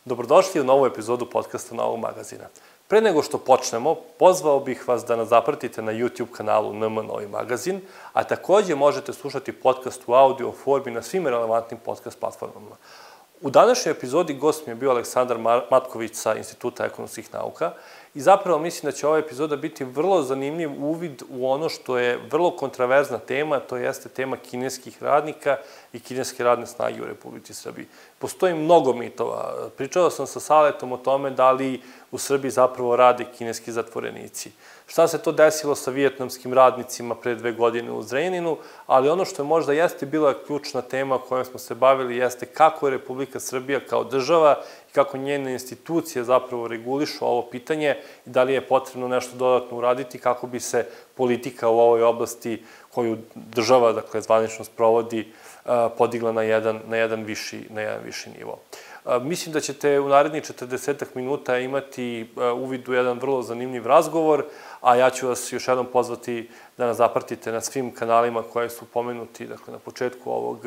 Dobrodošli u novu epizodu podcasta Novog magazina. Pre nego što počnemo, pozvao bih vas da nas zapratite na YouTube kanalu NM Novi magazin, a takođe možete slušati podcast u audio formi na svim relevantnim podcast platformama. U današnjoj epizodi gost mi je bio Aleksandar Matković sa Instituta ekonomskih nauka i zapravo mislim da će ova epizoda biti vrlo zanimljiv uvid u ono što je vrlo kontraverzna tema, to jeste tema kineskih radnika i kineske radne snage u Republici Srbiji. Postoji mnogo mitova. Pričao sam sa Saletom o tome da li u Srbiji zapravo rade kineski zatvorenici. Šta se to desilo sa vijetnamskim radnicima pre 2 godine u Zrenjaninu, ali ono što je možda jeste bila ključna tema kojom smo se bavili jeste kako je Republika Srbija kao država i kako njene institucije zapravo regulišu ovo pitanje i da li je potrebno nešto dodatno uraditi kako bi se politika u ovoj oblasti koju država, dakle, zvanično sprovodi, podigla na jedan viši nivo. Mislim da ćete u narednih 40 minuta imati uvid u jedan vrlo zanimljiv razgovor, a ja ću vas još jednom pozvati da nas zapratite na svim kanalima koje su pomenuti, dakle, na početku ovog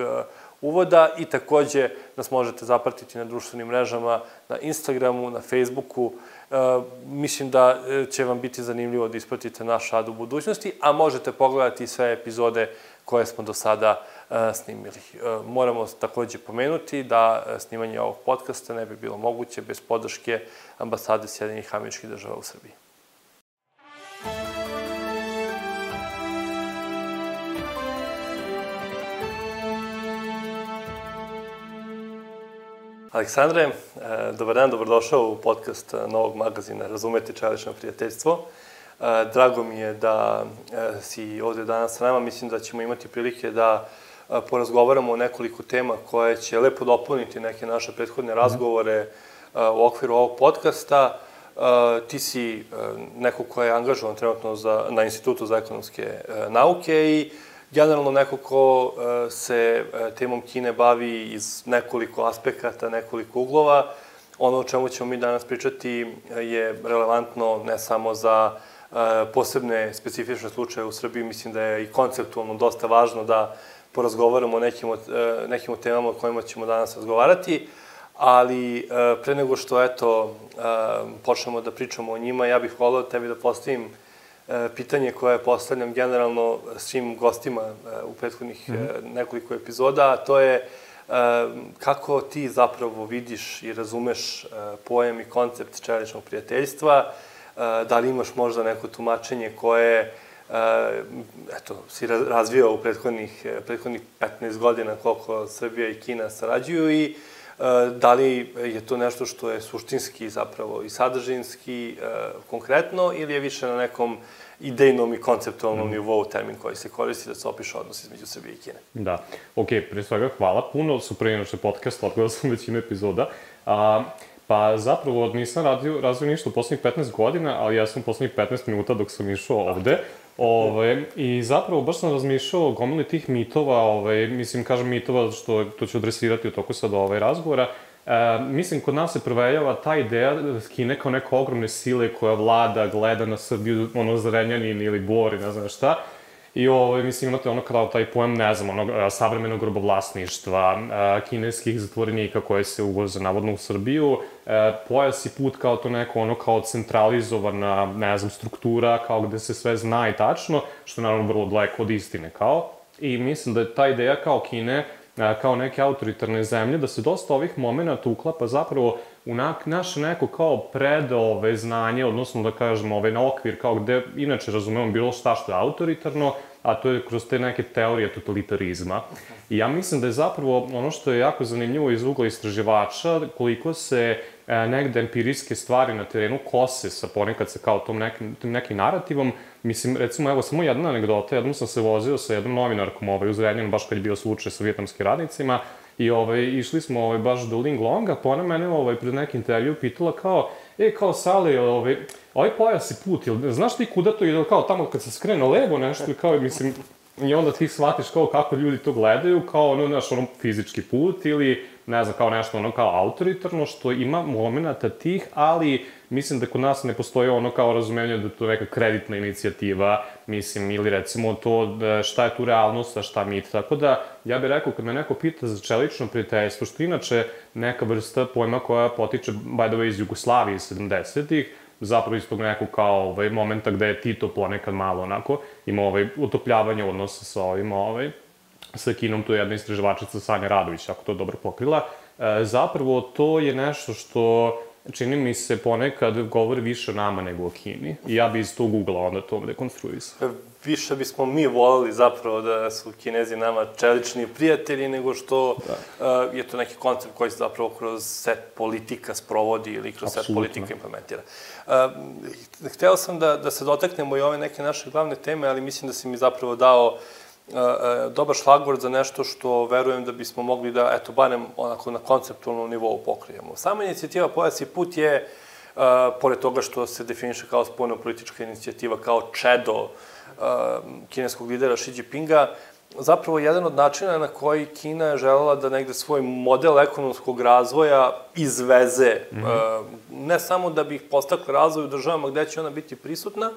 uvoda i takođe nas možete zapratiti na društvenim mrežama, na Instagramu, na Facebooku. Mislim da će vam biti zanimljivo da ispratite naš rad u budućnosti, a možete pogledati sve epizode koje smo do sada snimili. Moramo takođe pomenuti da snimanje ovog podcasta ne bi bilo moguće bez podrške Ambasade Sjedinjenih Američkih Država u Srbiji. Aleksandre, dobar dan, dobrodošao u podcast Novog magazina Razumeti čelično prijateljstvo. Drago mi je da si ovde danas sa nama. Mislim da ćemo imati prilike da porazgovaramo o nekoliko tema koje će lepo dopuniti neke naše prethodne razgovore u okviru ovog podcasta. Ti si neko ko je angažovan trenutno na Institutu za ekonomske nauke i generalno neko ko se temom Kine bavi iz nekoliko aspekata, nekoliko uglova. Ono o čemu ćemo mi danas pričati je relevantno ne samo za posebne specifične slučaje u Srbiji. Mislim da je i konceptualno dosta važno da porazgovaramo o nekim temama o kojima ćemo danas razgovarati, ali pre nego što, počnemo da pričamo o njima, ja bih voleo tebi da postavim pitanje koje postavljam generalno svim gostima u prethodnih nekoliko epizoda, a to je kako ti zapravo vidiš i razumeš pojam i koncept čeličnog prijateljstva, da li imaš možda neko tumačenje koje si razvio u prethodnih 15 godina koliko Srbija i Kina sarađuju i da li je to nešto što je suštinski zapravo i sadržinski konkretno ili je više na nekom idejnom i konceptualnom nivou termin koji se koristi da se opiše odnos između Srbije i Kine. Da, pre svega hvala puno, su pre što je podcast, odgledao sam većinu epizoda. Pa zapravo nisam razvio ništa u poslednjih 15 godina, ali ja sam u poslednjih 15 minuta dok sam išao ovde. I zapravo baš sam razmišljao o gomili tih mitova, mislim, kažem mitova, što to ću adresirati u toku sad razgovora. Mislim, kod nas se provejava ta ideja Kine kao neke ogromne sile koja vlada, gleda na Srbiju, Zrenjanin ili Bor i ne znam šta. I mislim, imate kao taj pojam, ne znam, savremenog robovlasništva, kineskih zatvorenika koje se uvoze navodno u Srbiju, pojas i put kao to neko kao centralizovana, ne znam, struktura, kao gde se sve zna i tačno, što je naravno vrlo daleko od istine kao. I mislim da je ta ideja kao Kine, kao neke autoritarne zemlje, da se dosta ovih momenta uklapa zapravo u naše neko kao znanje, odnosno da kažemo na okvir kao gde inače razumemo bilo šta što je autoritarno, a to je kroz te neke teorije totalitarizma. I ja mislim da je zapravo ono što je jako zanimljivo iz ugla istraživača, koliko se negde empirijske stvari na terenu kose sa ponekad sa kao tom nekim narativom. Mislim, recimo, evo, samo jedna anegdota, jednom sam se vozio sa jednom novinarkom u Zrenjaninu, baš kad je bio slučaj sa vijetnamskim radnicima, i išli smo baš do Linglonga, pa ona mene pred neki intervju pitala kao Sale, ovaj pojas i put, znaš ti kuda to ide, kao tamo kad se skrene levo nešto, kao, mislim, i onda ti shvatiš kao kako ljudi to gledaju, kao fizički put ili ne znam, kao nešto ono kao autoritarno, što ima momenata tih, ali mislim da kod nas ne postoji ono kao razumevanje da je to neka kreditna inicijativa, mislim, ili recimo to šta je tu realnost, a šta mit. Tako da, ja bih rekao, kad me neko pita za čelično prijateljstvo, što inače neka vrsta pojma koja potiče, by the way, iz Jugoslavije 70-ih, zapravo iz tog nekog kao momenta gde je Tito ponekad malo onako imao utopljavanje odnosa sa sa Kinom, to je jedna istraživačica Sanja Radović, ako to dobro pokrila. Zapravo to je nešto što čini mi se ponekad govori više o nama nego o Kini. I ja bi iz tog ugla onda to dekonstruisao. Više bismo mi volili zapravo da su Kinezi nama čelični prijatelji nego što je to neki koncept koji se zapravo kroz set politika sprovodi ili kroz set politika implementira. Hteo sam da se dotaknemo i ove neke naše glavne teme, ali mislim da si mi zapravo dao dobar šlagvord za nešto što verujem da bismo mogli da, eto, barem onako na konceptualnom nivou pokrijemo. Sama inicijativa Pojas i put je, pored toga što se definiše kao spoljnopolitička inicijativa, kao čedo kineskog lidera Xi Jinpinga, zapravo jedan od načina na koji Kina je želela da negde svoj model ekonomskog razvoja izveze, ne samo da bi ih postakla razvoj u državama gde će ona biti prisutna,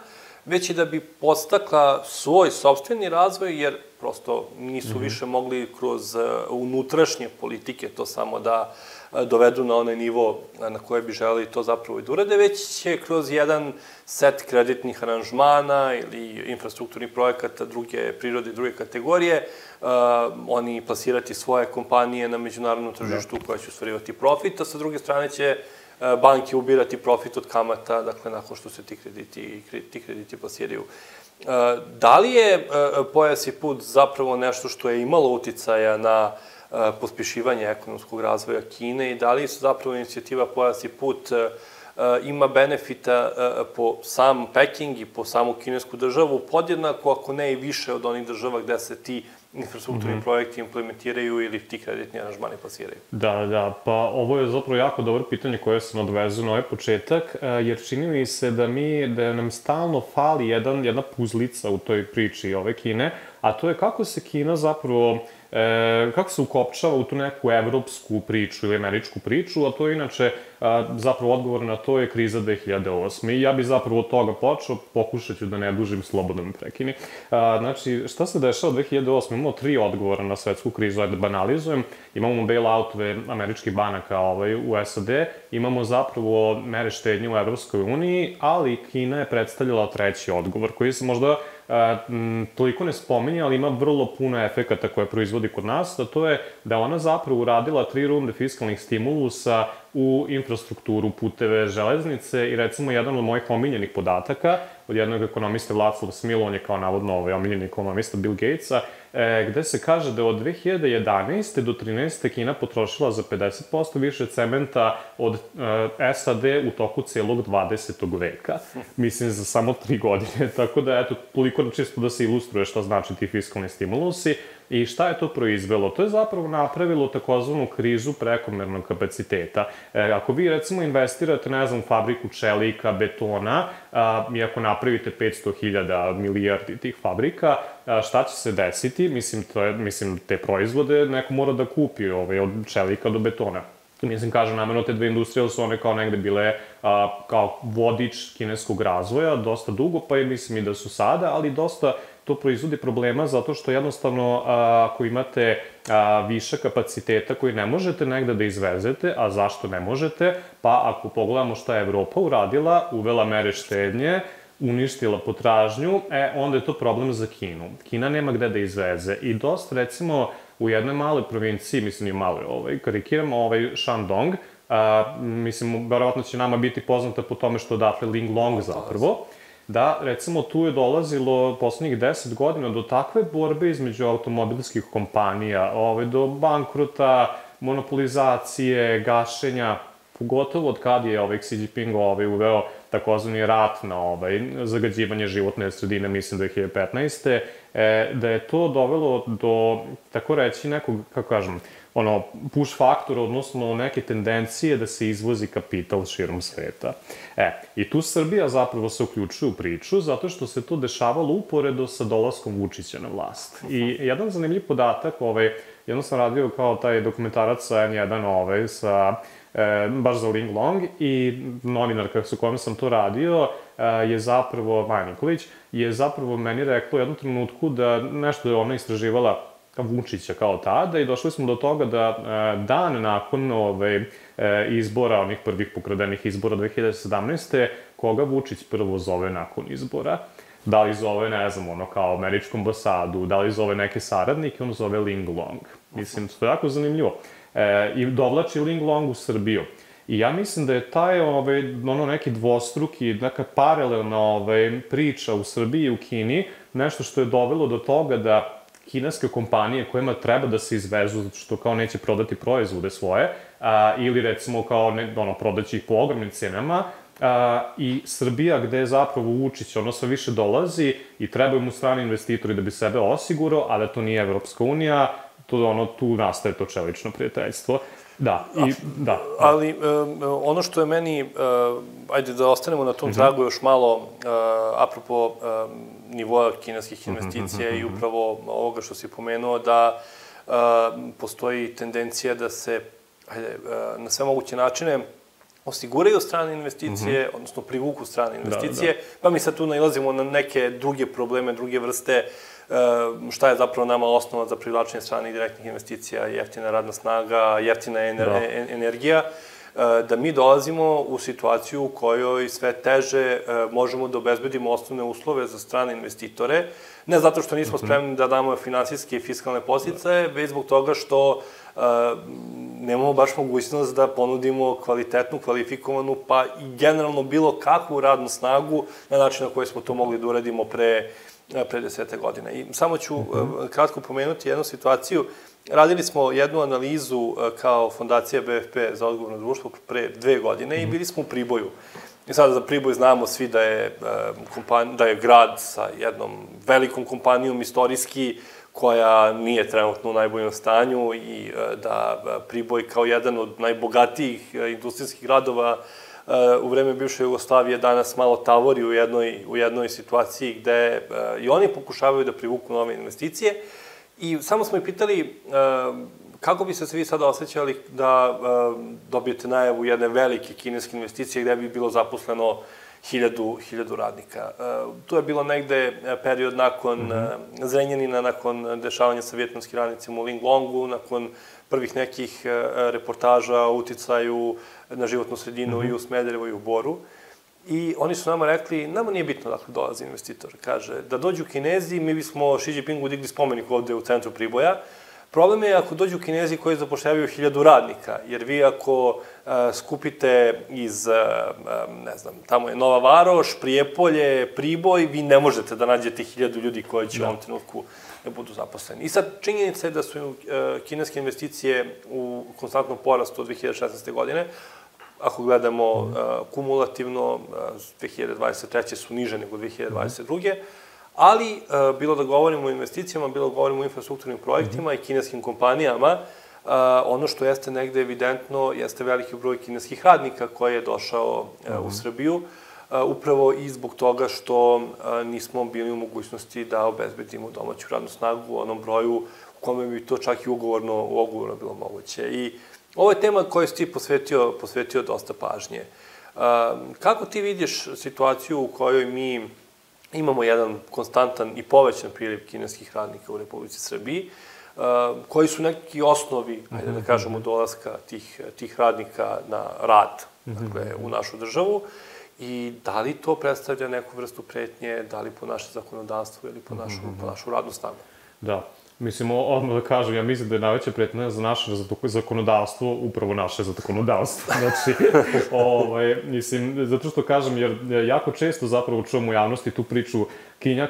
već i da bi podstakla svoj sopstveni razvoj, jer prosto nisu više mogli kroz unutrašnje politike to samo da dovedu na onaj nivo na koje bi želeli to zapravo i da urade, već će kroz jedan set kreditnih aranžmana ili infrastrukturnih projekata druge prirode i druge kategorije oni plasirati svoje kompanije na međunarodnom tržištu koje će ostvarivati profit, a sa druge strane će banke ubirati profit od kamata, dakle, nakon što se ti krediti plasiraju. Da li je Pojas i put zapravo nešto što je imalo uticaja na pospešivanje ekonomskog razvoja Kine i da li su zapravo inicijativa Pojas i put ima benefita po sam Peking i po samu kinesku državu podjednako, ako ne i više od onih država gde se ti infrastrukturni projekti implementiraju ili ti kreditni aranžmani plasiraju? Da, pa ovo je zapravo jako dobro pitanje koje se nadvezuje na ovaj početak, jer čini mi se da nam stalno fali jedna puzlica u toj priči ove Kine, a to je kako se Kina zapravo kako se ukopčava u tu neku evropsku priču ili američku priču, a to je inače zapravo odgovor na to je kriza 2008. I ja bih zapravo od toga počeo, pokušat ću da ne dužim, slobodno me prekini. Znači, šta se dešava 2008? Imamo 3 odgovora na svetsku krizu, ajde banalizujem. Imamo bailoutove američkih banaka u SAD, imamo zapravo mere štednje u Evropskoj uniji, ali Kina je predstavljala 3. odgovor, koji se možda toliko ne spominje, ali ima vrlo puno efekata koje proizvodi kod nas, a to je da ona zapravo uradila 3 runde fiskalnih stimulusa u infrastrukturu, puteve, železnice i recimo jedan od mojih omiljenih podataka od jednog ekonomiste Václav Smil, on je kao navodno omiljeni ekonomista Bill Gatesa, gde se kaže da od 2011. do 2013. Kina potrošila za 50% više cementa od SAD u toku celog 20. veka. Mislim, za samo 3 godine. Tako da, eto, toliko čisto da se ilustruje šta znači ti fiskalni stimulusi. I šta je to proizvelo? To je zapravo napravilo takozvanu krizu prekomernog kapaciteta. Ako vi, recimo, investirate, ne znam, u fabriku čelika, betona, i ako napravite 500.000 milijardi tih fabrika, šta će se desiti? Mislim, te proizvode neko mora da kupi od čelika do betona. Mislim, kažem, namerno te dve industrije su one kao negde bile kao vodič kineskog razvoja dosta dugo, pa i mislim i da su sada, ali dosta to proizvodi problema zato što jednostavno ako imate više kapaciteta koji ne možete negde da izvezete, a zašto ne možete? Pa ako pogledamo šta je Evropa uradila, uvela mere štednje, uništila potražnju, onda je to problem za Kinu. Kina nema gde da izveze i dosta, recimo, u jednoj maloj provinciji, mislim i maloj, karikiramo, Shandong, mislim, verovatno će nama biti poznata po tome što odatle Linglong zapravo, da, recimo, tu je dolazilo poslednjih 10 godina do takve borbe između automobilskih kompanija, do bankrota, monopolizacije, gašenja, pogotovo od kad je Xi Jinping uveo takozvani rat na zagađivanje životne sredine, mislim 2015. Da je to dovelo do, tako reći, nekog, kako kažem, push faktora, odnosno neke tendencije da se izvozi kapital širom sveta. I tu Srbija zapravo se uključuje u priču, zato što se to dešavalo uporedo sa dolaskom Vučića na vlast. I jedan zanimljiv podatak jedno sam radio kao taj dokumentarac sa N1, baš za Ling Long, i novinarka sa kojom sam to radio je zapravo, Maja Nikolić, je zapravo meni rekla u jednom trenutku da nešto je ona istraživala Vučića kao tada i došli smo do toga da dan nakon izbora, onih prvih pokradenih izbora 2017. koga Vučić prvo zove nakon izbora. Da li zove, ne znam, ono kao američku ambasadu, da li zove neke saradnike, on zove Ling Long. Mislim, to je jako zanimljivo. I dovlači Ling Long u Srbiju. I ja mislim da je taj, neki dvostruki, neka paralelna priča u Srbiji i u Kini, nešto što je dovelo do toga da kineske kompanije kojima treba da se izvezu zato što kao neće prodati proizvode svoje, ili recimo kao prodaći ih po ogromnim cenama, i Srbija gde je zapravo Vučić sve više dolazi i trebaju mu strani investitori da bi sebe osigurao, a da to nije Evropska unija, tu nastaje to čelično prijateljstvo. Da, da. Ali ono što je meni, ajde da ostanemo na tom tragu još malo, apropo nivoa kineskih investicija i upravo ovoga što si pomenuo, da postoji tendencija da se na sve moguće načine osiguraju strane investicije, odnosno privuku strane investicije, pa mi sad tu nailazimo na neke druge probleme, druge vrste, šta je zapravo nama osnova za privlačenje stranih direktnih investicija, jeftina radna snaga, jeftina energija, da mi dolazimo u situaciju u kojoj sve teže možemo da obezbedimo osnovne uslove za strane investitore, ne zato što nismo spremni da damo finansijske i fiskalne podsticaje, već zbog toga što nemamo baš mogućnost da ponudimo kvalitetnu, kvalifikovanu, pa i generalno bilo kakvu radnu snagu na način na koji smo to mogli da uradimo pre 10 godina. I samo ću kratko pomenuti jednu situaciju. Radili smo jednu analizu kao fondacija BFP za odgovorno društvo pre 2 godine i bili smo u Priboju. I sada za Priboj znamo svi da je grad sa jednom velikom kompanijom istorijski, koja nije trenutno u najboljem stanju i da Priboj kao jedan od najbogatijih industrijskih gradova u vreme bivše Jugoslavije danas malo tavori u jednoj situaciji gde i oni pokušavaju da privuku nove investicije. I samo smo ih pitali kako bi se svi sada osjećali da dobijete najavu jedne velike kineske investicije gde bi bilo zaposleno 1000 radnika. Tu je bilo negde period nakon Zrenjanina, nakon dešavanja sa vijetnamskim radnicima u Ling Longu, nakon prvih nekih reportaža o uticaju na životnu sredinu i u Smederevu i u Boru. I oni su nama rekli, nama nije bitno dakle dolazi investitor. Kaže, da dođu Kinezi, mi bismo Xi Jinpingu digli spomenik ovde u centru Priboja. Problem je ako dođu Kinezi koji zapošljavaju 1000 radnika, jer vi ako skupite iz, ne znam, tamo je Nova Varoš, Prijepolje, Priboj, vi ne možete da nađete 1000 ljudi koji će u ovom trenutku da budu zaposleni. I sad, činjenica je da su kineske investicije u konstantnom porastu od 2016. godine. Ako gledamo kumulativno, 2023. su niže nego 2022. Ali, bilo da govorimo o investicijama, bilo da govorimo o infrastrukturnim projektima i kineskim kompanijama, ono što jeste negde evidentno jeste veliki broj kineskih radnika koji je došao u Srbiju, upravo i zbog toga što nismo bili u mogućnosti da obezbedimo domaću radnu snagu u onom broju u kome bi to čak i ugovorno bilo moguće. I ovo je tema kojoj si ti posvetio dosta pažnje. Kako ti vidiš situaciju u kojoj mi imamo jedan konstantan i povećan priliv kineskih radnika u Republici Srbiji, koji su neki osnovi, ajde da kažemo, dolaska tih radnika na rad u našu državu, i da li to predstavlja neku vrstu pretnje, da li po naše zakonodavstvo ili po našu radnu snagu? Da. Mislim, odmah da kažem, ja mislim da je najveća pretnja za naše zakonodavstvo upravo naše zakonodavstvo. Znači, mislim, zato što kažem, jer jako često zapravo čuvam u javnosti tu priču Kina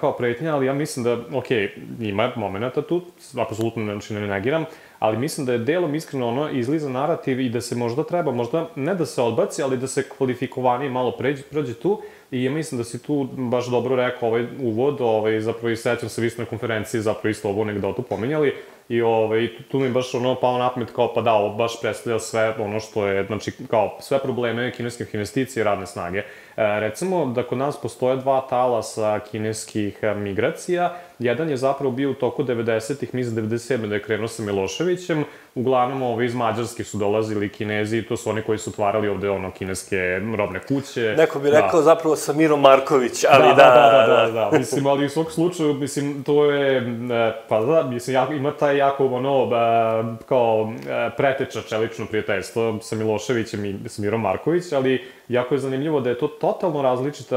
kao pretnja, ali ja mislim da, okej, ima momenta tu, apsolutno ne negiram, ali mislim da je delom iskreno izliza narativ i da se možda treba, možda ne da se odbaci, ali da se kvalifikovanije malo prođe tu. I ja mislim da si tu baš dobro rekao ovaj uvod, zapravo i sećam se vi ste na konferenciji zapravo isto ovu anegdotu pominjali, i tu mi baš pao na pamet kao pa da, ovo baš predstavlja sve ono što je, znači kao sve probleme kineskih investicija i radne snage. Recimo da kod nas postoje dva talasa kineskih migracija. Jedan je zapravo bio u toku 90-ih, mislim 97. da je krenuo sa Miloševićem. Uglavnom iz Mađarske su dolazili Kinezi i to su oni koji su otvarali ovde kineske robne kuće. Neko bi rekao zapravo Samiro Marković, ali da. Mislim, ali u svog slučaju, mislim, to je, pa da, mislim, ima taj jako kao preteča čelično prijateljstvo sa Miloševićem i Samirom Marković, ali jako je zanimljivo da je to totalno različit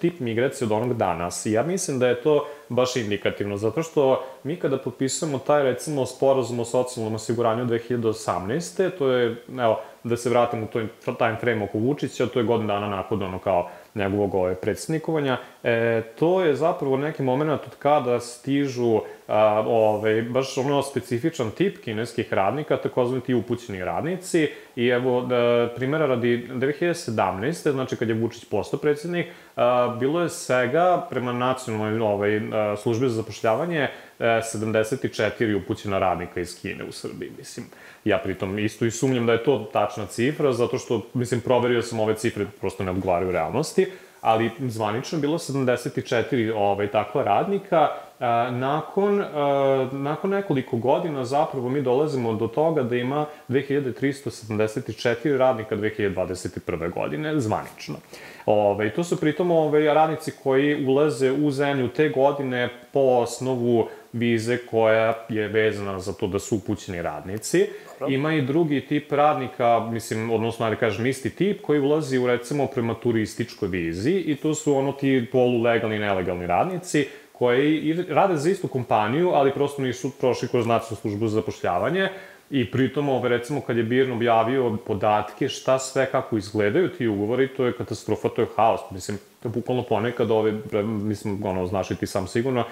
tip migracije od onog danas. I ja mislim da je to baš indikativno, zato što mi kada potpisujemo taj, recimo, sporazum o socijalnom osiguranju 2018. To je, evo, da se vratim u time frame oko Vučića, to je godin dana nakon kao njegovog predsjednikovanja, to je zapravo neki moment od kada stižu baš specifičan tip kineskih radnika, takozvani ti upućeni radnici. I evo, primjera radi 2017. znači kad je Vučić postao predsjednik, bilo je svega prema nacionalnoj službi za zapošljavanje 74 upućena radnika iz Kine u Srbiji, mislim. Ja pritom isto i sumnjam da je to tačna cifra, zato što, mislim, proverio sam ove cifre, prosto ne odgovaraju realnosti, ali zvanično je bilo 74 takva radnika. Nakon nekoliko godina zapravo mi dolazimo do toga da ima 2374 radnika 2021. godine, zvanično. To su pritom radnici koji ulaze u zemlju te godine po osnovu vize koja je vezana za to da su upućeni radnici. Ima i drugi tip radnika, mislim, odnosno, da kažem, isti tip koji ulazi u, recimo, prema turističkoj vizi i to su ti polulegalni i nelegalni radnici koji rade za istu kompaniju, ali prosto nisu prošli kroz nacionalnu službu za zapošljavanje. I pritom, recimo, kad je BIRN objavio podatke šta sve, kako izgledaju ti ugovori, to je katastrofa, to je haos. Mislim, bukvalno ponekad, mislim, znaš i ti sam sigurno,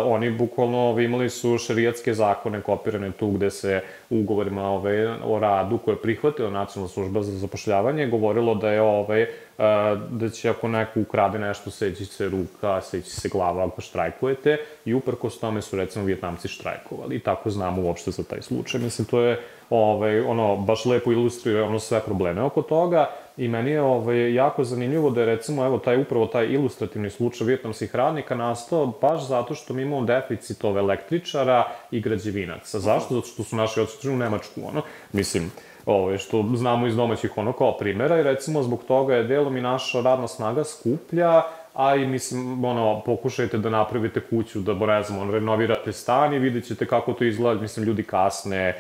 oni bukvalno imali su šerijatske zakone kopirane tu gde se u ugovorima o radu koje je prihvatila nacionalna služba za zapošljavanje govorilo da je da će ako neko ukrade nešto, seći se ruka, seći se glava ako štrajkujete i uprkos tome su, recimo, Vijetnamci štrajkovali i tako znamo uopšte za taj slučaj. Mislim, to je baš lepo ilustruje sve probleme oko toga i meni je jako zanimljivo da je, recimo, upravo taj ilustrativni slučaj vijetnamskih radnika nastao baš zato što mi imamo deficit električara i građevinaca. Zašto? Zato što su naši otišli u Nemačku, mislim, što znamo iz domaćih kao primjera i recimo zbog toga je delom i naša radna snaga skuplja, a i mislim, pokušajte da napravite kuću, da, ne znam, renovirate stan i vidjet ćete kako to izgleda, mislim, ljudi kasne,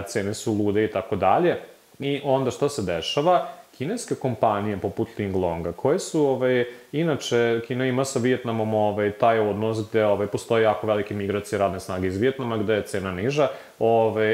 cene su lude i tako dalje. I onda što se dešava? Kineske kompanije poput Linglonga, koje su, inače, Kina ima sa Vijetnamom taj odnos gde postoji jako velike migracije radne snage iz Vijetnama, gde je cena niža,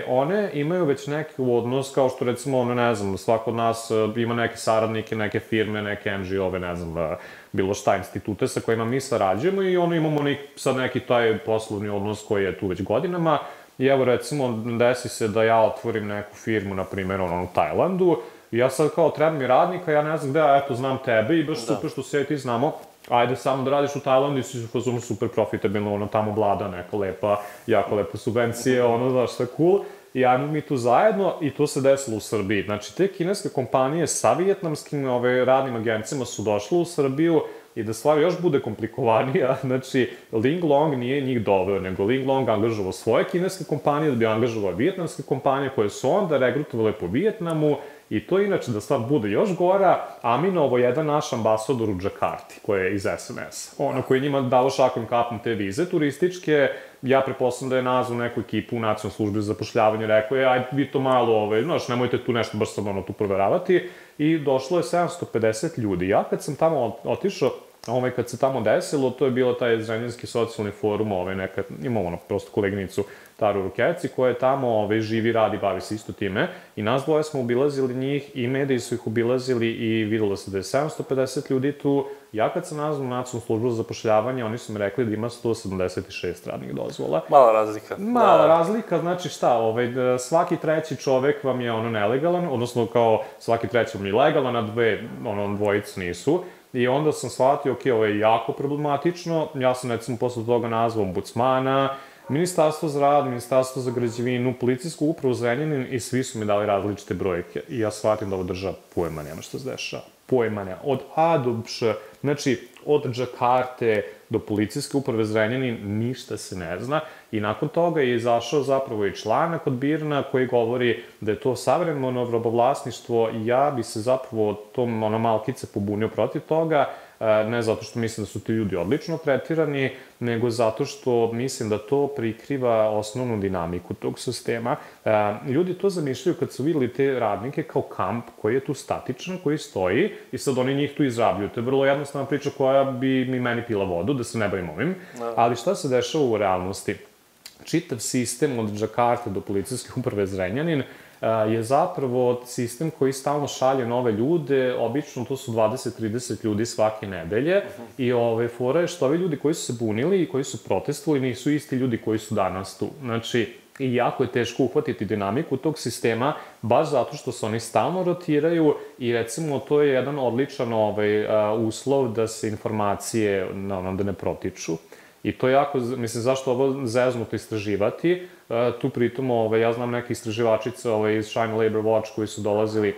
one imaju već neki odnos, kao što, recimo, ne znam, svako od nas ima neke saradnike, neke firme, neke NGO-ve, ne znam, bilo šta institute sa kojima mi sarađujemo i imamo sad neki taj poslovni odnos koji je tu već godinama. I evo, recimo, desi se da ja otvorim neku firmu, na primjer, u Tajlandu, i ja sad kao treba mi radnika, ja ne znam gde, eto, znam tebe i baš super što se ti znamo, ajde samo da radiš u Tajlandu i si super profitabilno, tamo vlada neka lepa, jako lepa subvencije, znaš, sve cool. I ajmo mi tu zajedno i to se desilo u Srbiji. Znači, te kineske kompanije sa vijetnamskim radnim agencijama su došle u Srbiju i da stvar još bude komplikovanija, znači, Linglong nije njih doveo, nego Linglong angažovao svoje kineske kompanije da bi angažovao vijetnamske kompanije koje su onda regrutovale po Vijetnamu i to inače da stvar bude još gora, Aminovo je jedan naš ambasador u Džakarti, koji je iz SNS-a, koji njima dao šakom kapom te vize turističke, ja preposledam da je nazvao neku ekipu u nacionalnoj službi za zapošljavanje, rekao je, ajde vi to malo, znaš, nemojte tu nešto baš sad tu proveravati, i došlo je 750 ljudi. Ja kad sam tamo otišao, kad se tamo desilo, to je bilo taj Zrenjaninski socijalni forum, imamo prosto koleginicu Taru Rukeci, koja je tamo, živi, radi, bavi se isto time, i nas dvoje smo obilazili njih i mediji su ih obilazili i videlo se da je 750 ljudi tu. Ja kad sam nazvao nacionalnu službu za zapošljavanje, oni su mi rekli da ima 176 radnih dozvola. Mala razlika. Mala razlika, znači šta, svaki treći čovek vam je nelegalan, odnosno kao svaki treći vam je legalan, a dvojicu nisu. I onda sam shvatio, ovo je jako problematično, ja sam recimo posle toga nazvao ombudsmana, Ministarstvo za rad, Ministarstvo za građevinu, policijsku upravu Zrenjanin i svi su mi dali različite brojke. I ja shvatim da ova država pojma nema što se dešava. Pojma nema. Od A do Š, znači od Džakarte do policijske uprave Zrenjanin ništa se ne zna. I nakon toga je izašao zapravo i članak od BIRN-a koji govori da je to savremeno robovlasništvo i ja bi se zapravo tom malkice pobunio protiv toga, ne zato što mislim da su ti ljudi odlično tretirani, nego zato što mislim da to prikriva osnovnu dinamiku tog sistema. Ljudi to zamišljaju kad su videli te radnike kao kamp koji je tu statičan, koji stoji i sad oni njih tu izrabljuju. To je vrlo jednostavna priča koja bi mi meni pila vodu, da se ne bavim ovim. Ali šta se dešava u realnosti? Čitav sistem od Džakarte do policijske uprave Zrenjanin je zapravo sistem koji stalno šalje nove ljude, obično to su 20-30 ljudi svake nedelje i fora je što ovi ljudi koji su se bunili i koji su protestovali nisu isti ljudi koji su danas tu. Znači, i jako je teško uhvatiti dinamiku tog sistema, baš zato što se oni stalno rotiraju i recimo to je jedan odličan uslov da se informacije da ne protiču. I to je jako, mislim, zašto ovo zeznuto istraživati, tu pritom, ja znam neke istraživačice iz China Labor Watch koji su dolazili,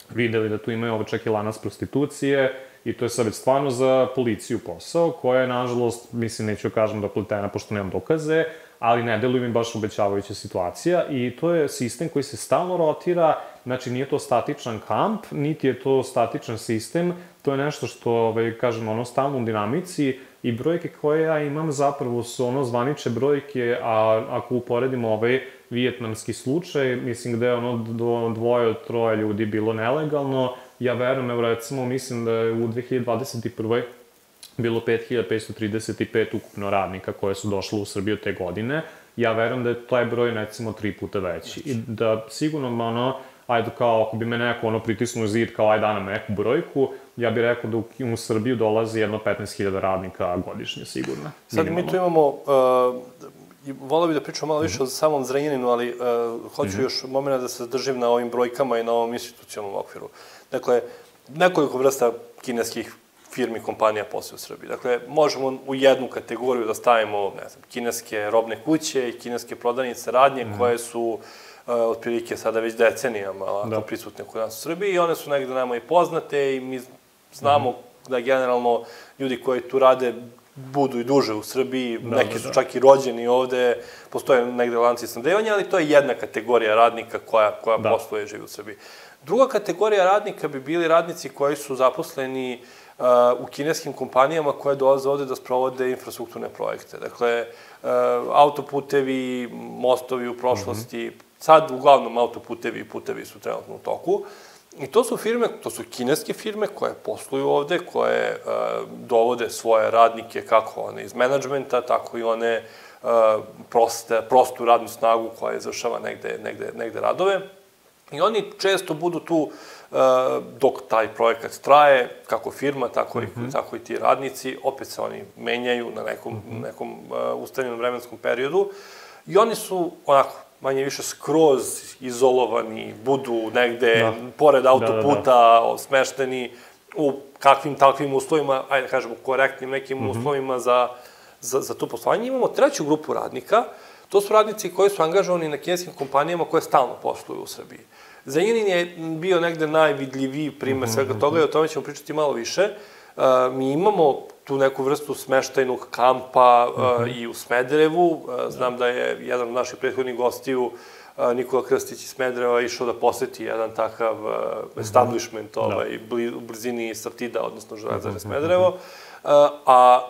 videli da tu imaju čak i lanac prostitucije i to je sad već stvarno za policiju posao, koja je, nažalost, mislim, neću kažem da pletena, pošto nemam dokaze, ali ne deluje mi baš obećavajuća situacija i to je sistem koji se stalno rotira, znači nije to statičan kamp, niti je to statičan sistem, to je nešto što, kažem, stalno u dinamici i brojke koje ja imam zapravo su zvanične brojke, a ako uporedimo vijetnamski slučaj, mislim gde je do 2 od 3 ljudi bilo nelegalno, ja verujem, recimo, mislim da je u 2021. bilo 5535 ukupno radnika koje su došle u Srbiju te godine. Ja verujem da je taj broj, recimo, 3 puta veći. I da sigurno, ajde, kao, ako bi me neko pritisnuo zid, kao, ajde, nam neku brojku, ja bih rekao da u Srbiju dolazi jedno 15.000 radnika godišnje, sigurno. Sad mi tu imamo, volao bih da pričam malo više o samom Zrenjaninu, ali hoću još momena da se zadržim na ovim brojkama i na ovom institucionalnom okviru. Dakle, nekoliko vrsta kineskih firmi, kompanija posle u Srbiji. Dakle, možemo u jednu kategoriju da stavimo, ne znam, kineske robne kuće i kineske prodavnice radnje koje su otprilike sada već decenijama prisutne kod nas u Srbiji i one su negde nama i poznate i mi znamo da generalno ljudi koji tu rade budu i duže u Srbiji, neki su čak i rođeni ovde, postoje negde lanci snabdevanja, ali to je jedna kategorija radnika koja posluje i živi u Srbiji. Druga kategorija radnika bi bili radnici koji su zaposleni u kineskim kompanijama koje dolaze ovde da sprovode infrastrukturne projekte. Dakle, autoputevi, mostovi u prošlosti, sad uglavnom autoputevi i putevi su trenutno u toku. I to su firme, to su kineske firme koje posluju ovde, koje dovode svoje radnike, kako one iz menadžmenta, tako i one prostu radnu snagu koja izvršava negde radove. I oni često budu tu dok taj projekat traje, kako firma, tako i ti radnici, opet se oni menjaju na nekom ustavljenom vremenskom periodu i oni su onako manje više skroz izolovani, budu negde pored autoputa, smešteni u kakvim takvim uslovima, ajde da kažemo korektnim nekim uslovima za to poslovanje. Imamo treću grupu radnika, to su radnici koji su angažovani na kineskim kompanijama koje stalno posluju u Srbiji. Zrenjanin je bio negde najvidljiviji primer svega toga i o tome ćemo pričati malo više. Mi imamo tu neku vrstu smeštajnog kampa i u Smederevu. Znam da je jedan od naših prethodnih gostiju, Nikola Krstić iz Smedereva, išao da poseti jedan takav establishment u blizini Sartida, odnosno Železare Smederevo. A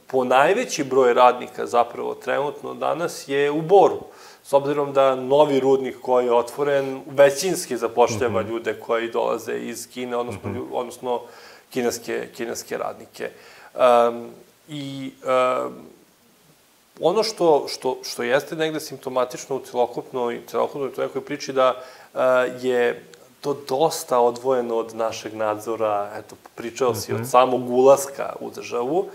po najveći broj radnika zapravo trenutno danas je u Boru. S obzirom da novi rudnik koji je otvoren većinski zapošljava ljude koji dolaze iz Kine, odnosno kineske radnike. I ono što jeste negde simptomatično u celokupnoj nekoj priči da je to dosta odvojeno od našeg nadzora, eto, pričao si od samog ulaska u državu,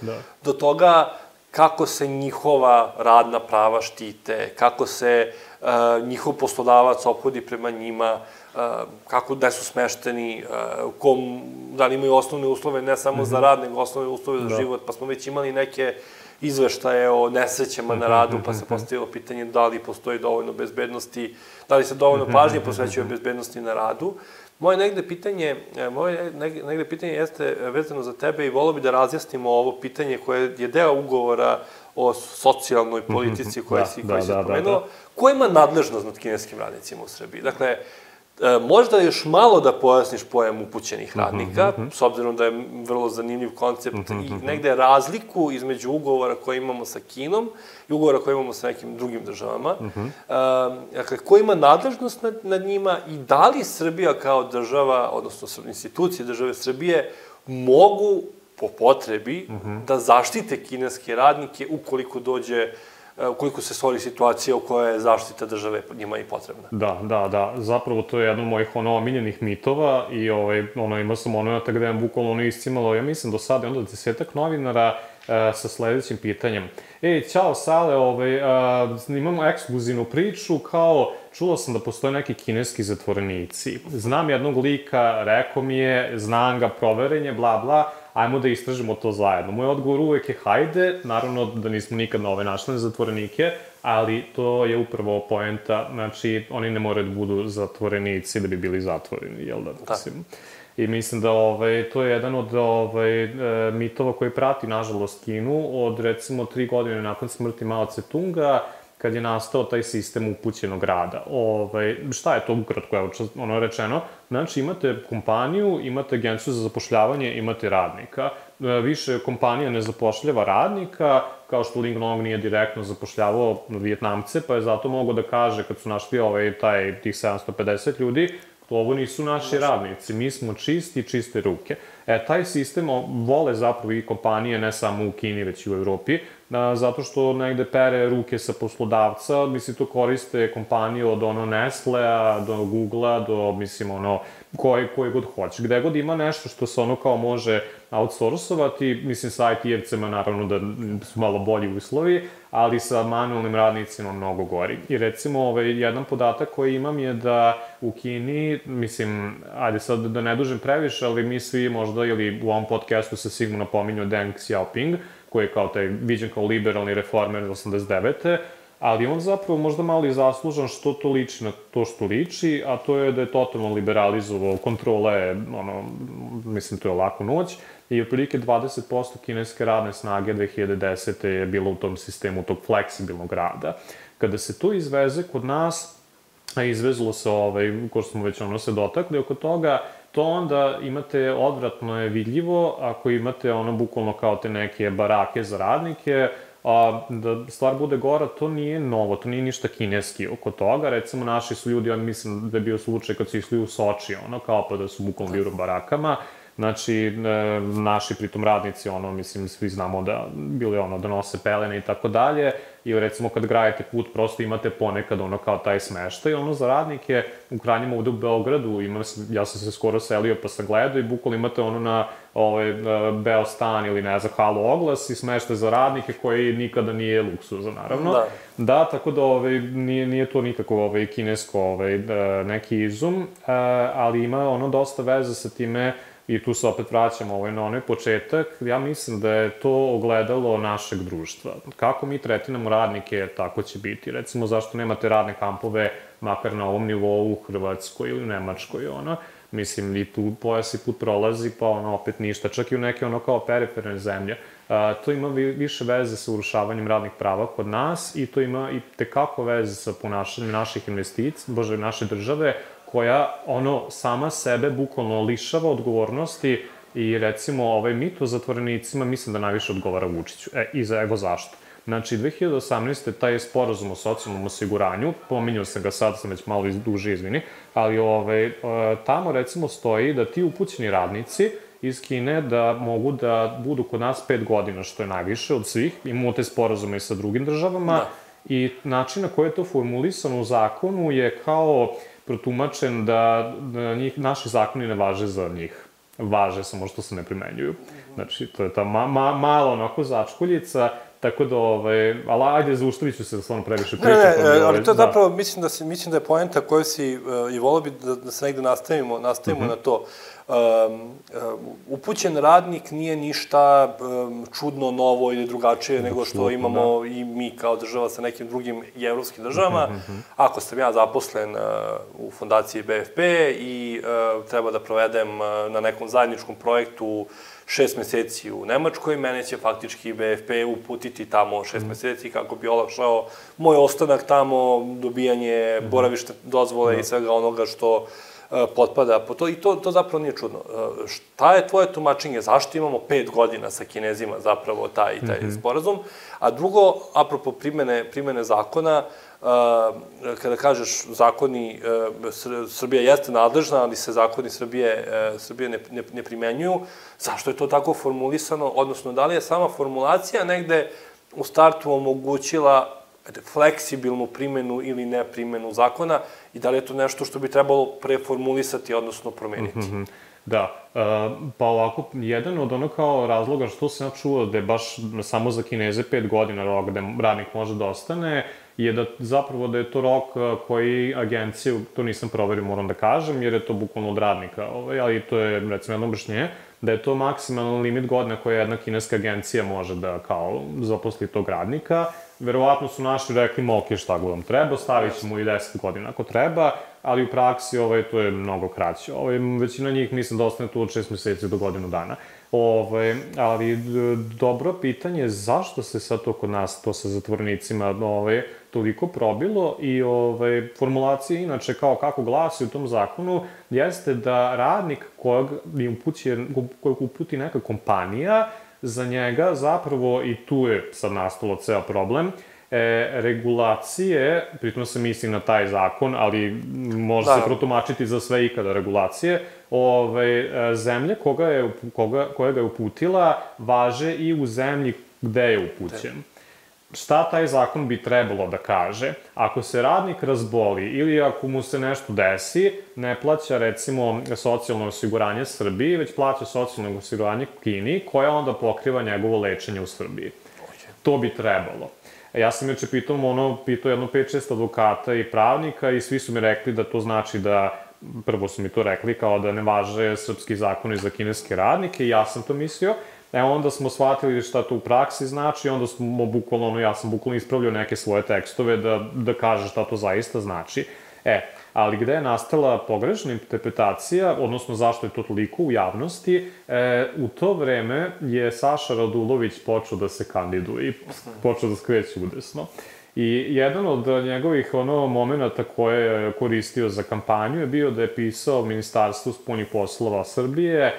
do toga kako se njihova radna prava štite, kako se njihov poslodavac ophodi prema njima. kako da su smešteni, da li imaju osnovne uslove, ne samo za rad, nego osnovne uslove za život, pa smo već imali neke izveštaje o nesrećama na radu, pa se postavilo pitanje da li postoji dovoljno bezbednosti, da li se dovoljno pažnje posvećuje bezbednosti na radu. Moje negde pitanje jeste vezano za tebe i volio bi da razjasnimo ovo pitanje koje je deo ugovora o socijalnoj politici koje si spomenuo. Ko ima nadležnost nad kineskim radnicima u Srbiji? Dakle, možda još malo da pojasniš pojam upućenih radnika, s obzirom da je vrlo zanimljiv koncept i negde razliku između ugovora koje imamo sa Kinom i ugovora koje imamo sa nekim drugim državama. Dakle, ko ima nadležnost nad njima i da li Srbija kao država, odnosno institucije države Srbije, mogu po potrebi da zaštite kineske radnike ukoliko se stvori situacija u kojoj je zaštita države njima i potrebna. Da. Zapravo to je jedan od mojih omiljenih mitova i imao sam gde je bukvalno iscimalo, ja mislim do sada, onda 10-ak novinara sa sledećim pitanjem. Ćao Sale, imamo ekskluzivnu priču, kao čulo sam da postoje neki kineski zatvorenici. Znam jednog lika, rekao mi je, znam ga, proveren je, bla bla, ajmo da istražimo to zajedno. Moj odgovor uvek je hajde, naravno da nismo nikad našli zatvorenike, ali to je upravo poenta, znači oni ne moraju da budu zatvorenici da bi bili zatvoreni, jel da? I mislim da to je jedan od mitova koji prati, nažalost, Kinu od, recimo, 3 godine nakon smrti Mao Tse-tunga, kad je nastao taj sistem upućenog rada. Šta je to ukratko, evo, rečeno? Znači, imate kompaniju, imate agenciju za zapošljavanje, imate radnika. Više kompanija ne zapošljava radnika, kao što Ling Long nije direktno zapošljavao Vijetnamce, pa je zato mogo da kaže, kad su našli tih 750 ljudi, ovo nisu naši radnici, mi smo čiste ruke. Taj sistem vole zapravo i kompanije, ne samo u Kini, već i u Evropi, zato što negde pere ruke sa poslodavca, mislim, to koriste kompanije od Nestlea do Googlea, do, mislim, koje god hoće. Gde god ima nešto što se kao može outsourcovati, mislim, sa IT-evcima naravno da su malo bolji uslovi, ali sa manualnim radnicima mnogo gori. I recimo, jedan podatak koji imam je da u Kini, mislim, ajde sad da ne dužem previše, ali mi svi možda, ili u ovom podcastu se sigurno pominju Deng Xiaoping, koji je kao taj viđen kao liberalni reformer 89. Ali on zapravo možda malo i zaslužan što to liči na to što liči, a to je da je totalno liberalizovao kontrole, mislim, to je laku noć, i otprilike 20% kineske radne snage 2010. je bilo u tom sistemu tog fleksibilnog rada. Kada se to izveze kod nas, a izvezlo se, ko smo već se dotakli oko toga, to onda imate, odvratno je vidljivo, ako imate bukvalno kao te neke barake za radnike, da stvar bude gora, to nije novo, to nije ništa kineski oko toga. Recimo, naši su ljudi, ja mislim da je bio slučaj kad su išli u Soči, kao pa da su bukvalno bili u barakama. Znači, naši pritom radnici, mislim, svi znamo da bili da nose pelene i tako dalje, i recimo kad gradite put, prosto imate ponekad kao taj smeštaj, za radnike, u krajnjem ovde u Beogradu, ja sam se skoro selio pa sam gledao i bukvalno imate na Beostan ili ne znam, Halo oglas i smeštaj za radnike koji nikada nije luksuza, naravno. Da, tako da nije to nikako kinesko neki izum, ali ima dosta veze sa time. I tu se opet vraćamo na onaj početak. Ja mislim da je to ogledalo našeg društva. Kako mi tretiramo radnike, tako će biti. Recimo, zašto nemate radne kampove, makar na ovom nivou u Hrvatskoj ili u Nemačkoj, Mislim, i tu pojas i put prolazi, pa opet ništa. Čak i u neke kao periferne zemlje. To ima više veze sa urušavanjem radnih prava kod nas i to ima i tekako veze sa ponašanjem naših investicija, naše države, koja sama sebe bukvalno lišava odgovornosti i recimo mit o zatvorenicima mislim da najviše odgovara Vučiću. Evo zašto. Znači, 2018. taj sporazum o socijalnom osiguranju, pominjao sam ga sad, sam već malo duže, izvini, ali tamo recimo stoji da ti upućeni radnici iz Kine da mogu da budu kod nas 5 godina, što je najviše od svih. Imamo te sporazume i sa drugim državama i način na koji je to formulisano u zakonu je kao protumačen da naši zakoni ne važe za njih. Važe, samo što se ne primenjuju. Znači, to je ta malo začkoljica Tako da, ali ajde, zaustavit ću se da stvarno previše pričam. Ali to je zapravo, mislim da je poenta koju si, i volio bi da se negde nastavimo na to. Upućen radnik nije ništa čudno, novo ili drugačije nego što imamo i mi kao država sa nekim drugim i evropskim državama. Ako sam ja zaposlen u fondaciji BFP i treba da provedem na nekom zajedničkom projektu 6 meseci u Nemačkoj, mene će faktički BFP uputiti tamo 6 meseci kako bi olakšao moj ostanak tamo, dobijanje boravišne dozvole i svega onoga što potpada po to. I to zapravo nije čudno. Šta je tvoje tumačenje? Zašto imamo 5 godina sa Kinezima zapravo taj sporazum? A drugo, apropo primene zakona, kada kažeš zakoni, Srbija jeste nadležna, ali se zakoni Srbije ne primenjuju, zašto je to tako formulisano? Odnosno, da li je sama formulacija negde u startu omogućila fleksibilnu primenu ili ne primenu zakona i da li je to nešto što bi trebalo preformulisati, odnosno promeniti? Da, pa ovako, jedan od ono kao razloga što sam ja čuo da je baš samo za Kineze 5 godina rok gde radnik može da ostane, je da zapravo da je to rok koji agenciju, to nisam proverio, moram da kažem, jer je to bukvalno od radnika, ali to je, recimo, jedno objašnjenje, da je to maksimalan limit godina koja jedna kineska agencija može da kao zaposli tog radnika. Verovatno su naši rekli, ok, šta god vam treba, stavit ćemo i 10 godina ako treba, ali u praksi to je mnogo kraće. Većina njih mislim da ostane tu od 6 meseci do godinu dana. Ali dobro pitanje je zašto se sad to kod nas, to sa zatvorenicima, toliko probilo i formulacija inače kao kako glasi u tom zakonu jeste da radnik kojeg uputi neka kompanija, za njega zapravo, i tu je sad nastalo ceo problem, regulacije, pritom se misli na taj zakon, ali može se protumačiti za sve ikada regulacije, zemlje koja ga je uputila važe i u zemlji gde je upućen. Šta taj zakon bi trebalo da kaže? Ako se radnik razboli ili ako mu se nešto desi, ne plaća, recimo, socijalno osiguranje Srbiji, već plaća socijalno osiguranje Kini, koja onda pokriva njegovo lečenje u Srbiji. To bi trebalo. Ja sam juče pitao jedno 5-6 advokata i pravnika i svi su mi rekli da to znači da, prvo su mi to rekli, kao da ne važe srpski zakoni za kineske radnike i ja sam to mislio. Onda smo shvatili šta to u praksi znači, onda smo bukvalno, ja sam bukvalno ispravljao neke svoje tekstove da kaže šta to zaista znači. Ali gde je nastala pogrešna interpretacija, odnosno zašto je to toliko u javnosti, u to vreme je Saša Radulović počeo da se kandiduje i počeo da skreće udesno. I jedan od njegovih momenta koje je koristio za kampanju je bio da je pisao Ministarstvu spoljnih poslova Srbije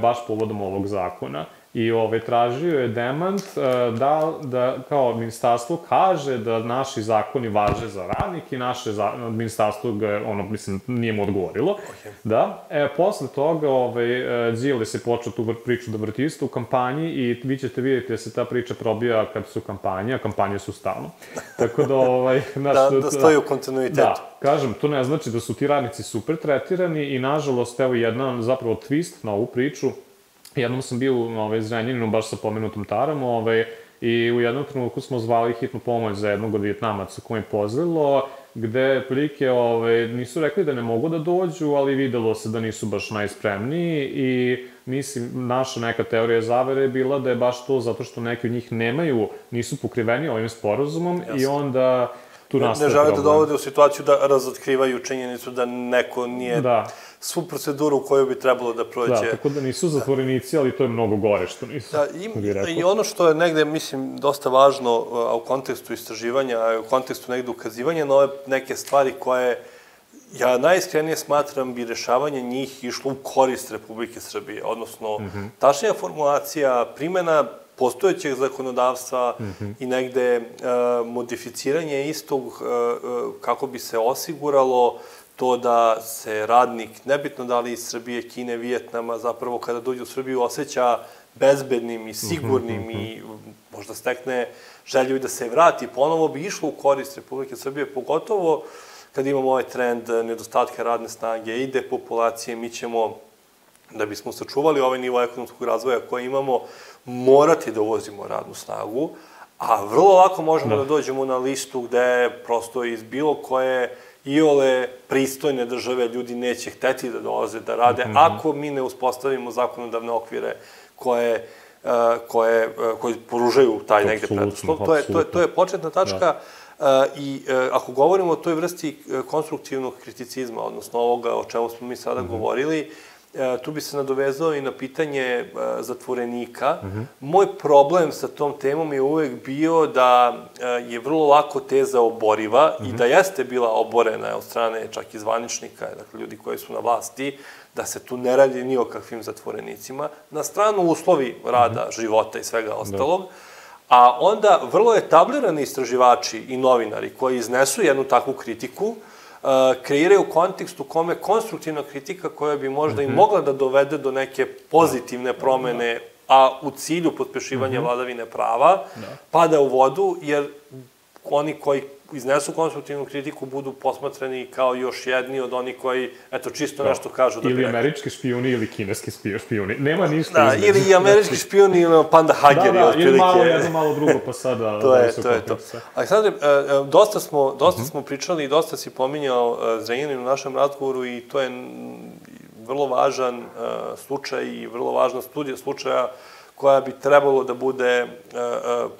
baš povodom ovog zakona. I tražio je demant da kao ministarstvo kaže da naši zakoni važe za radnik i naše ministarstvo ga, nije mu odgovorilo. Da. Posle toga Đilas je počeo tu priču da vrti isto u kampanji i vi ćete vidjeti da se ta priča probija kad su kampanje, a kampanje su stalno. Tako da... Da stoji u kontinuitetu. Da. Kažem, to ne znači da su ti radnici super tretirani i nažalost, evo jedan zapravo twist na ovu priču. Jednom sam bio u Zrenjaninu, baš sa pomenutom Tarom, i u jednom trenutku smo zvali hitnu pomoć za jednog od Vijetnamaca koji je pozlilo, gde prilike nisu rekli da ne mogu da dođu, ali videlo se da nisu baš najspremniji i mislim, naša neka teorija zavere je bila da je baš to zato što neki od njih nisu pokriveni ovim sporazumom i onda tu nastaje problem. Ne žele da dovode u situaciju da razotkrivaju činjenicu da neko nije svu proceduru koju bi trebalo da prođe. Da, tako da nisu zatvorenici, ali to je mnogo gore što nisu. I ono što je negde, mislim, dosta važno u kontekstu istraživanja, u kontekstu negde ukazivanja na ove neke stvari koje ja najiskrenije smatram bi rešavanje njih išlo u korist Republike Srbije, odnosno tačnija formulacija, primena postojećeg zakonodavstva i negde modificiranje istog kako bi se osiguralo to da se radnik, nebitno da li iz Srbije, Kine, Vijetnama, zapravo kada dođe u Srbiju osjeća bezbednim i sigurnim i možda stekne želju da se vrati, ponovo bi išlo u korist Republike Srbije, pogotovo kad imamo ovaj trend nedostatka radne snage i depopulacije, mi ćemo, da bismo sačuvali ovaj nivo ekonomskog razvoja koji imamo, morati da uvozimo radnu snagu, A vrlo lako možemo da dođemo na listu gde prosto iz bilo koje iole pristojne države ljudi neće hteti da dolaze da rade, ako mi ne uspostavimo zakonodavne okvire koji poružaju taj negde preduslov. To je početna tačka i ako govorimo o toj vrsti konstruktivnog kriticizma, odnosno ovoga o čemu smo mi sada govorili, tu bi se nadovezao i na pitanje zatvorenika. Moj problem sa tom temom je uvek bio da je vrlo lako teza oboriva i da jeste bila oborena od strane čak i zvaničnika, dakle ljudi koji su na vlasti, da se tu ne radi ni o kakvim zatvorenicima, na stranu uslovi rada, života i svega ostalog, a onda vrlo etablirani istraživači i novinari koji iznesu jednu takvu kritiku, kreiraju kontekst u kome konstruktivna kritika koja bi možda i mogla da dovede do neke pozitivne promene, a u cilju pospešivanja vladavine prava, pada u vodu, jer oni koji iznesu konstruktivnu kritiku budu posmatrani kao još jedni od onih koji, eto, čisto nešto kažu da bi rekli. Ili američki špijuni ili kineski špijuni. Nema ništa između. Ili i američki špijuni ili panda hageri, otprilike. Ili malo jedno, malo drugo, pa sada... To je to. Aleksandre, dosta smo pričali i dosta si pominjao Zrenjanin u našem razgovoru i to je vrlo važan slučaj i vrlo važna studija slučaja koja bi trebalo da bude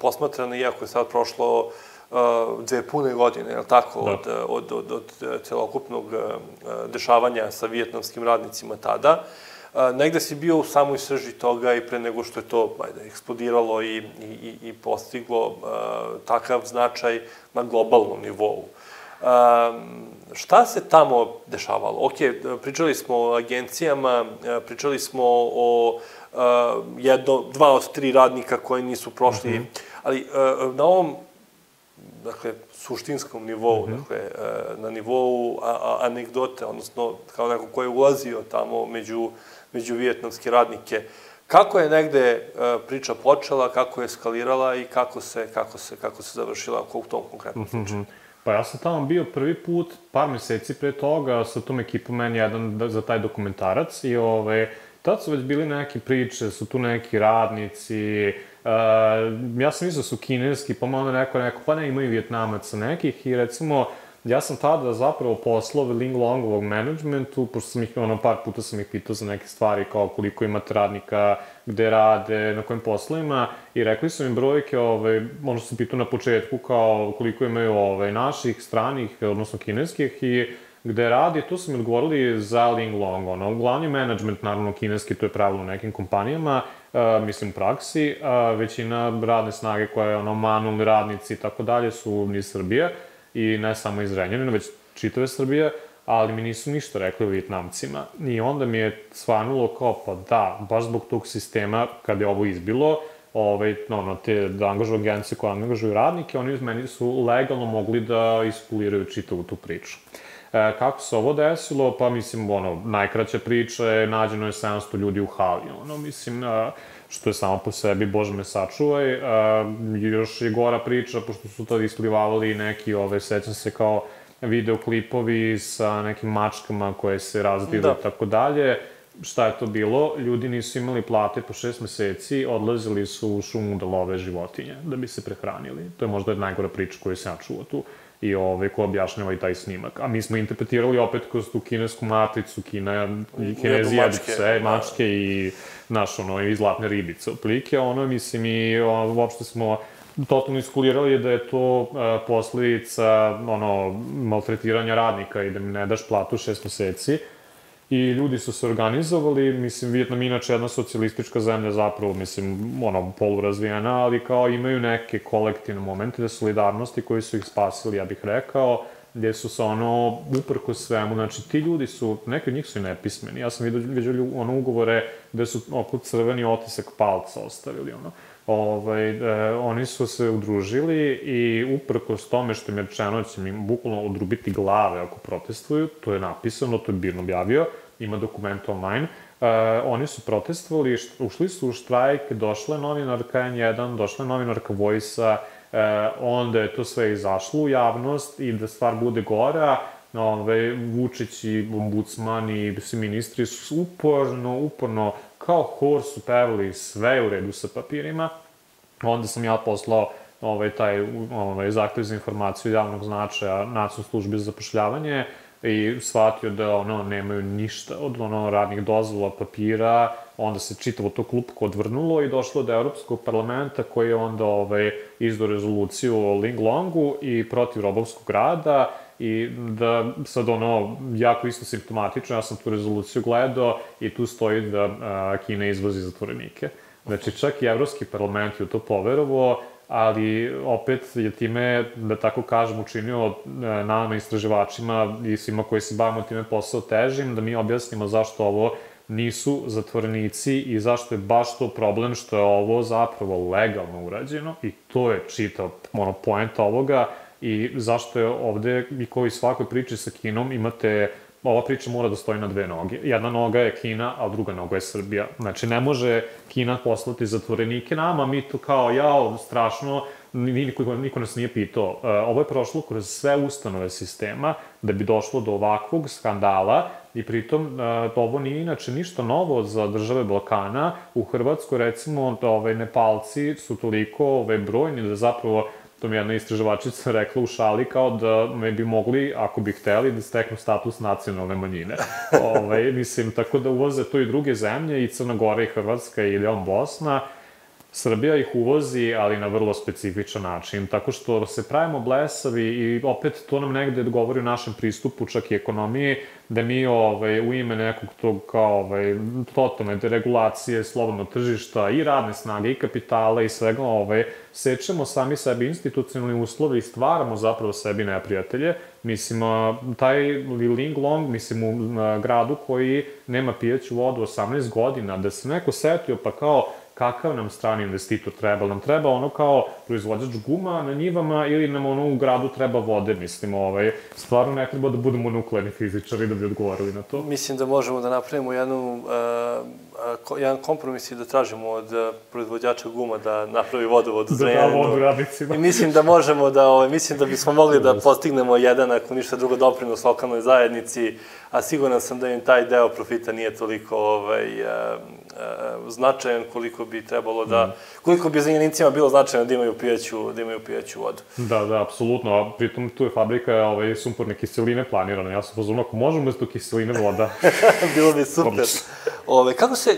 posmatrana, iako je sad prošlo 2 pune godine, je li tako, od celokupnog dešavanja sa vijetnamskim radnicima tada. Negde si bio u samoj srži toga i pre nego što je to eksplodiralo i postiglo takav značaj na globalnom nivou. Šta se tamo dešavalo? Ok, pričali smo o agencijama, pričali smo o 2 od 3 radnika koji nisu prošli, ali na ovom suštinskom nivou, na nivou anegdote, odnosno kao neko ko je ulazio tamo među vijetnamske radnike. Kako je negde priča počela, kako je eskalirala i kako se završila u tom konkretnom slučaju? Pa ja sam tamo bio prvi put, par meseci pre toga, sa tom ekipom N1 za taj dokumentarac i tad su već bili neke priče, su tu neki radnici, ja sam mislio su kineski, pa malo neko, pa ne, imaju Vjetnamaca nekih i recimo, ja sam tada zapravo poslao Ling Longovog managementu, pošto sam ih, par puta sam ih pitao za neke stvari, kao koliko imate radnika, gde rade, na kojim poslovima, i rekli su mi brojke, ono što sam pitao na početku, kao koliko imaju naših, stranih, odnosno kineskih, i gde radi, tu su mi odgovorili za Ling Long, glavni management, naravno kineski, to je pravilo u nekim kompanijama, mislim praksi, većina radne snage koja je manualni radnici i tako dalje su iz Srbije, i ne samo iz Zrenjanina, već čitave Srbije, ali mi nisu ništa rekli o Vjetnamcima. I onda mi je svanulo kao, pa da, baš zbog tog sistema, kad je ovo izbilo, te angažuju agencije koje angažuju radnike, oni meni su legalno mogli da iskuliraju čitavu tu priču. Kako se ovo desilo? Pa mislim, najkraća priča je, nađeno je 700 ljudi u hali, mislim, što je samo po sebi, Bože me sačuvaj. Još je gora priča, pošto su tada isplivavali neki, sećam se kao videoklipovi sa nekim mačkama koje se razbile i tako dalje. Šta je to bilo? Ljudi nisu imali plate po 6 meseci, odlazili su u šumu da love životinje, da bi se prehranili. To je možda najgora priča koju sam ja čuo tu i ko objašnjava i taj snimak. A mi smo interpretirali opet kroz tu kinesku matricu, Kinezi jedu pse, mačke i i zlatne ribice. Otprilike, mislim, i uopšte smo totalno iskulirali da je to posledica maltretiranja radnika i da mi ne daš platu 6 meseci. I ljudi su se organizovali, mislim, Vijetnam je inače jedna socijalistička zemlja zapravo, mislim, polurazvijena, ali kao imaju neke kolektivne momente solidarnosti koji su ih spasili, ja bih rekao, gde su se uprko svemu, znači ti ljudi su, neki od njih su i nepismeni, ja sam vidio ugovore gde su oko crveni otisak palca ostavili, oni su se udružili i uprkos tome što im je rečeno da će im bukvalno odrubiti glave ako protestuju, to je napisano, to je Birn objavio, ima dokument online, oni su protestovali, ušli su u štrajk, došla je novinarka N1, došla je novinarka Voice-a, onda je to sve izašlo u javnost i da stvar bude gora, Vučić i ombudsman i svi ministri su uporno, kao hor su pevali sve u redu sa papirima. Onda sam ja poslao taj zahtev za informaciju javnog značaja Nacionalnoj službi za zapošljavanje i shvatio da nemaju ništa od radnih dozvola, papira, onda se čitavo to klupko odvrnulo i došlo do Evropskog parlamenta koji je onda izdao rezoluciju o Linglongu i protiv robovskog rada i da sad jako isto simptomatično, ja sam tu rezoluciju gledao i tu stoji da Kina izvozi zatvorenike. Znači čak i Evropski parlament je to poverovao, ali opet je time, da tako kažem, učinio nama istraživačima i svima koji se bavimo time posao težim, da mi objasnimo zašto ovo nisu zatvorenici i zašto je baš to problem što je ovo zapravo legalno urađeno i to je čitav poenta ovoga i zašto je ovde, i kao i svakoj priči sa Kinom, imate, ova priča mora da stoji na dve noge. Jedna noga je Kina, a druga noga je Srbija. Znači, ne može Kina poslati zatvorenike nama, mi to kao, strašno, niko nas nije pitao. Ovo je prošlo kroz sve ustanove sistema da bi došlo do ovakvog skandala i pritom ovo nije inače ništa novo za države Balkana. U Hrvatskoj, recimo, Nepalci su toliko brojni da zapravo, to mi jedna istraživačica rekla u šali, kao da me bi mogli, ako bi hteli, da steknu status nacionalne manjine. Mislim, tako da uvoze to i druge zemlje, i Crna Gora, i Hrvatska, i Bosna. Srbija ih uvozi, ali na vrlo specifičan način, tako što se pravimo blesavi i opet to nam negde govori o našem pristupu, čak i ekonomiji, da mi u ime nekog tog kao totalne deregulacije, slobodnog tržišta i radne snage i kapitala i svega sečemo sami sebi institucionalni uslovi i stvaramo zapravo sebi neprijatelje. Mislim, taj Linglong, mislim, u gradu koji nema pijaću vodu 18 godina, da se neko setio pa kao kakav nam strani investitor treba. Nam treba kao proizvođač guma na njivama ili nam u gradu treba vode, mislim, stvarno ne treba da budemo nuklearni fizičari da bi odgovorili na to. Mislim da možemo da napravimo jedan kompromis i da tražimo od proizvođača guma da napravi vodovod u Zrenjaninu. Da da vodu radnicima. I mislim da možemo da, mislim da bismo mogli da postignemo jedan, ako ništa drugo, doprinos lokalnoj zajednici, a siguran sam da im taj deo profita nije toliko značajan koliko bi trebalo da, koliko bi Zrenjanicima bilo značajno da imaju pijaću vodu. Da, apsolutno. Pritom tu je fabrika sumporne kiseline planirana. Ja sam pozorno, ako možemo umesto kiseline voda. Bilo bi super.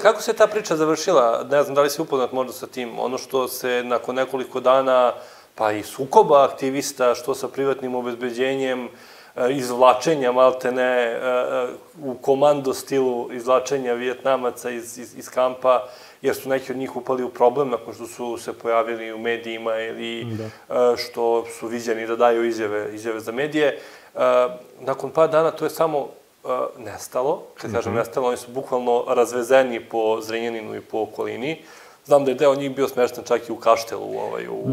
Kako se ta priča završila? Ne znam da li si upoznat možda sa tim. Ono što se nakon nekoliko dana, pa i sukoba aktivista, što sa privatnim obezbeđenjem, izvlačenja, maltene, u komando stilu izvlačenja Vijetnamaca iz kampa, jer su neki od njih upali u problem nakon što su se pojavili u medijima ili što su viđeni da daju izjave za medije. Nakon par dana to je samo nestalo. Kad kažem nestalo, oni su bukvalno razvezeni po Zrenjaninu i po okolini. Znam da je deo njih bio smešten čak i u Kaštelu,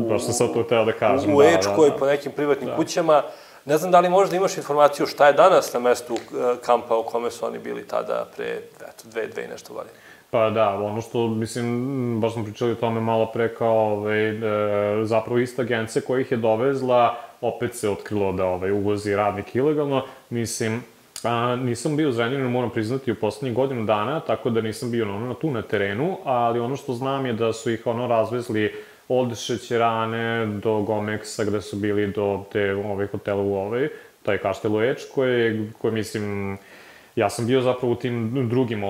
baš sam sad to hteo da kažem. U Ečkoj, po nekim privatnim kućama. Ne znam da li možda imaš informaciju šta je danas na mestu kampa u kome su oni bili tada pre dve i nešto godine. Pa da, ono što, mislim, baš smo pričali o tome malo pre kao zapravo ista agencija koja ih je dovezla, opet se otkrilo da uvozi radnik ilegalno. Mislim, nisam bio u Zrenjaninu, moram priznati, u poslednjih godinu dana, tako da nisam bio tu na terenu, ali ono što znam je da su ih razvezli od Šećerane do Gomeksa, gde su bili do te hotela u taj Kaštel u Ečkoj, koji, mislim, ja sam bio zapravo u tim drugim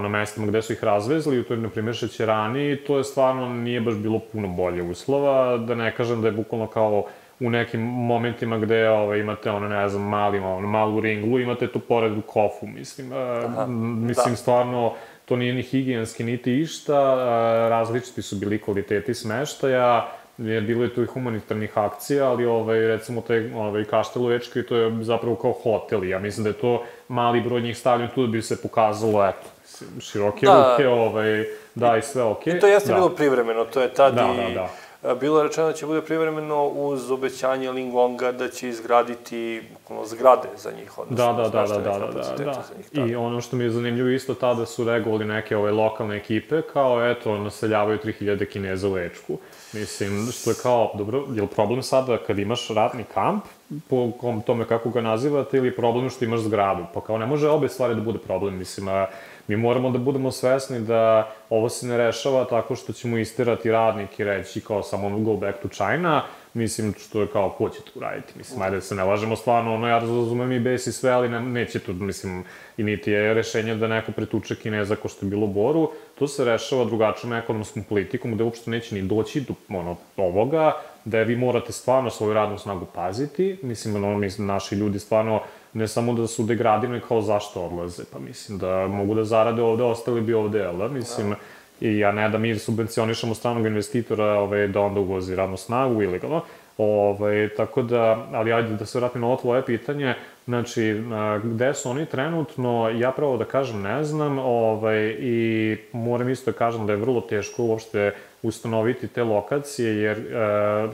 mestima gde su ih razvezli, u toj, na primjer, Šećerani, i to je stvarno nije baš bilo puno bolje uslova, da ne kažem da je bukvalno kao u nekim momentima gde imate, ne znam, malu ringlu, imate tu pored kofu, mislim. Mislim, stvarno, to nije ni higijenski, niti išta, različiti su bili kvaliteti smeštaja, bilo je tu i humanitarnih akcija, ali recimo taj Kaštel u Ečkoj, to je zapravo kao hotel, ja mislim da je to mali broj njih stavljen tu da bi se pokazalo, eto, široke ruke, da, i sve okej. I to jeste bilo privremeno, to je tad i bilo je rečeno da će bude privremeno uz obećanje Linglonga da će izgraditi zgrade za njih, odnosno smeštajne kapacitete za njih. I ono što mi je zanimljivo isto tada su reagovali neke lokalne ekipe, kao eto, naseljavaju 3000 Kineza u Ečku. Mislim, što je kao, dobro, je li problem sada kad imaš radni kamp, po tome kako ga nazivate, ili problem što imaš zgradu? Pa kao ne može obe stvari da bude problem, mislim, Mi moramo da budemo svesni da ovo se ne rešava tako što ćemo istirati radnik i reći kao samo go back to China, mislim, što je kao, ko će to uraditi? Mislim, ajde se ne lažemo stvarno, ja razumem i bes i sve, ali neće to, mislim, i niti je rešenje da neko pretuče Kineza ko što je bilo u Boru, to se rešava drugačijom ekonomskom politikom, gde uopšte neće ni doći do ovoga, da vi morate stvarno svoju radnu snagu paziti, mislim, naši ljudi stvarno ne samo da su degradirani kao zašto odlaze, pa mislim da mogu da zarade ovde, ostali bi ovde, jel da? Mislim, i ja ne da mi subvencionišemo stranog investitora da onda uvozi radnu snagu ilegalno, tako da, ali ajde da se vratim na ovo tvoje pitanje, znači, gde su oni trenutno, ja pravo da kažem ne znam, i moram isto da kažem da je vrlo teško uopšte ustanoviti te lokacije, jer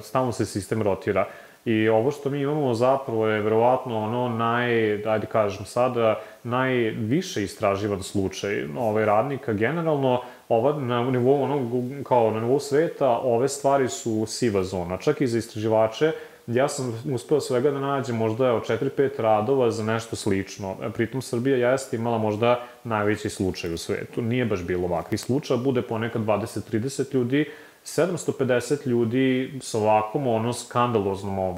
stalno se sistem rotira. I ovo što mi imamo zapravo je verovatno ajde kažem sada, najviše istraživan slučaj radnika. Generalno, na nivou sveta, ove stvari su siva zona. Čak i za istraživače, ja sam uspeo svega da nađem možda 4-5 radova za nešto slično. Pritom Srbija jeste imala možda najveći slučaj u svetu. Nije baš bilo ovakvih slučaja, bude ponekad 20-30 ljudi, 750 ljudi sa ovakvom skandaloznom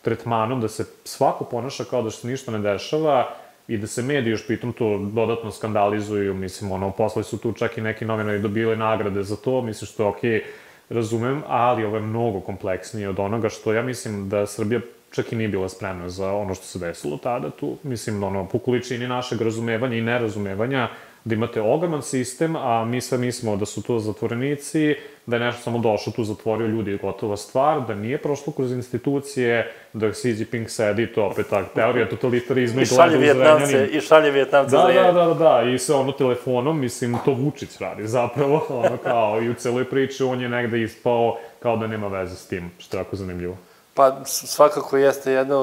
tretmanom, da se svako ponaša kao da se ništa ne dešava i da se mediji još pritom to dodatno skandalizuju, mislim, posle su tu čak i neki novinari dobili nagrade za to, mislim što je okej, razumem, ali ovo je mnogo kompleksnije od onoga što ja mislim da Srbija čak i nije bila spremna za ono što se desilo tada tu, mislim, po količini našeg razumevanja i nerazumevanja, da imate ogroman sistem, a mi sve mislimo da su to zatvorenici, da je nešto samo došlo tu, zatvorio ljudi i gotova stvar, da nije prošlo kroz institucije, da Xi Jinping sedi, to opet ta teorija totalitarizma i gleda u Zrenjanin. I šalje Vijetnamce za je. Da, i sve telefonom, mislim, to Vučić radi zapravo, kao i u celoj priči on je negde ispao kao da nema veze s tim, što je jako zanimljivo. Pa svakako jeste jedna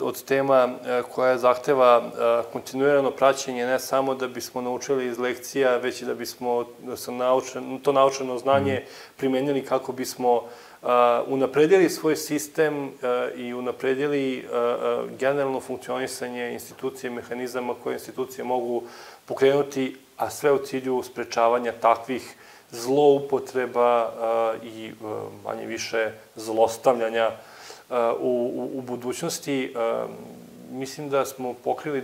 od tema koja zahteva kontinuirano praćenje, ne samo da bismo naučili iz lekcija, već i da bismo to naučeno znanje primenili kako bismo unapredili svoj sistem i unapredili generalno funkcionisanje institucije i mehanizama koje institucije mogu pokrenuti, a sve u cilju sprečavanja takvih zloupotreba i manje više zlostavljanja u budućnosti. Mislim da smo pokrili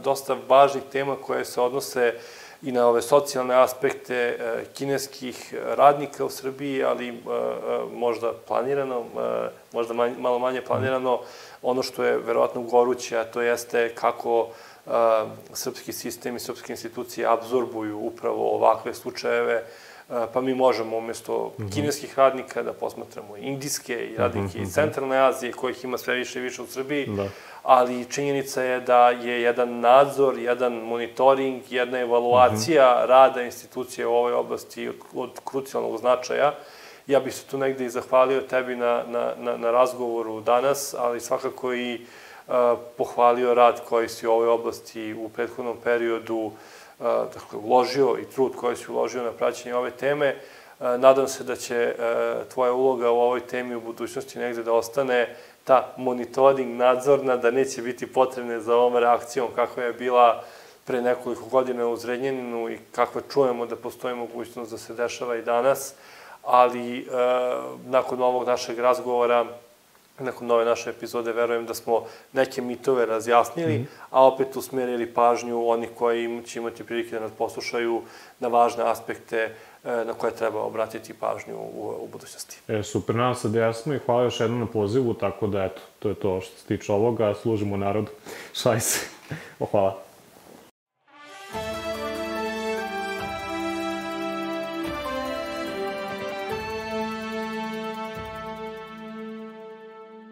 dosta važnih tema koje se odnose i na ove socijalne aspekte kineskih radnika u Srbiji, ali možda planirano, možda malo manje planirano. Ono što je verovatno goruće, a to jeste kako srpski sistem i srpske institucije apsorbuju upravo ovakve slučajeve, pa mi možemo umjesto kineskih radnika da posmatramo indijske i radnike iz Centralne Azije, kojih ima sve više i više u Srbiji, ali činjenica je da je jedan nadzor, jedan monitoring, jedna evaluacija rada institucije u ovoj oblasti od krucijalnog značaja. Ja bih se tu negde i zahvalio tebi na razgovoru danas, ali svakako i pohvalio rad koji si u ovoj oblasti u prethodnom periodu uložio i trud koji si uložio na praćenje ove teme. Nadam se da će tvoja uloga u ovoj temi u budućnosti negde da ostane ta monitoring nadzorna, da neće biti potrebne za ovom reakcijom kakva je bila pre nekoliko godina u Zrenjaninu i kakva čujemo da postoji mogućnost da se dešava i danas, ali nakon ovog našeg razgovora, nakon ove naše epizode, verujem da smo neke mitove razjasnili, a opet usmerili pažnju onih koji će imati prilike da nas poslušaju na važne aspekte na koje treba obratiti pažnju u budućnosti. Super, nadam se da jesmo i hvala još jednom na pozivu, tako da eto, to je to što se tiče ovoga, služimo narodu. Šaj se. Hvala.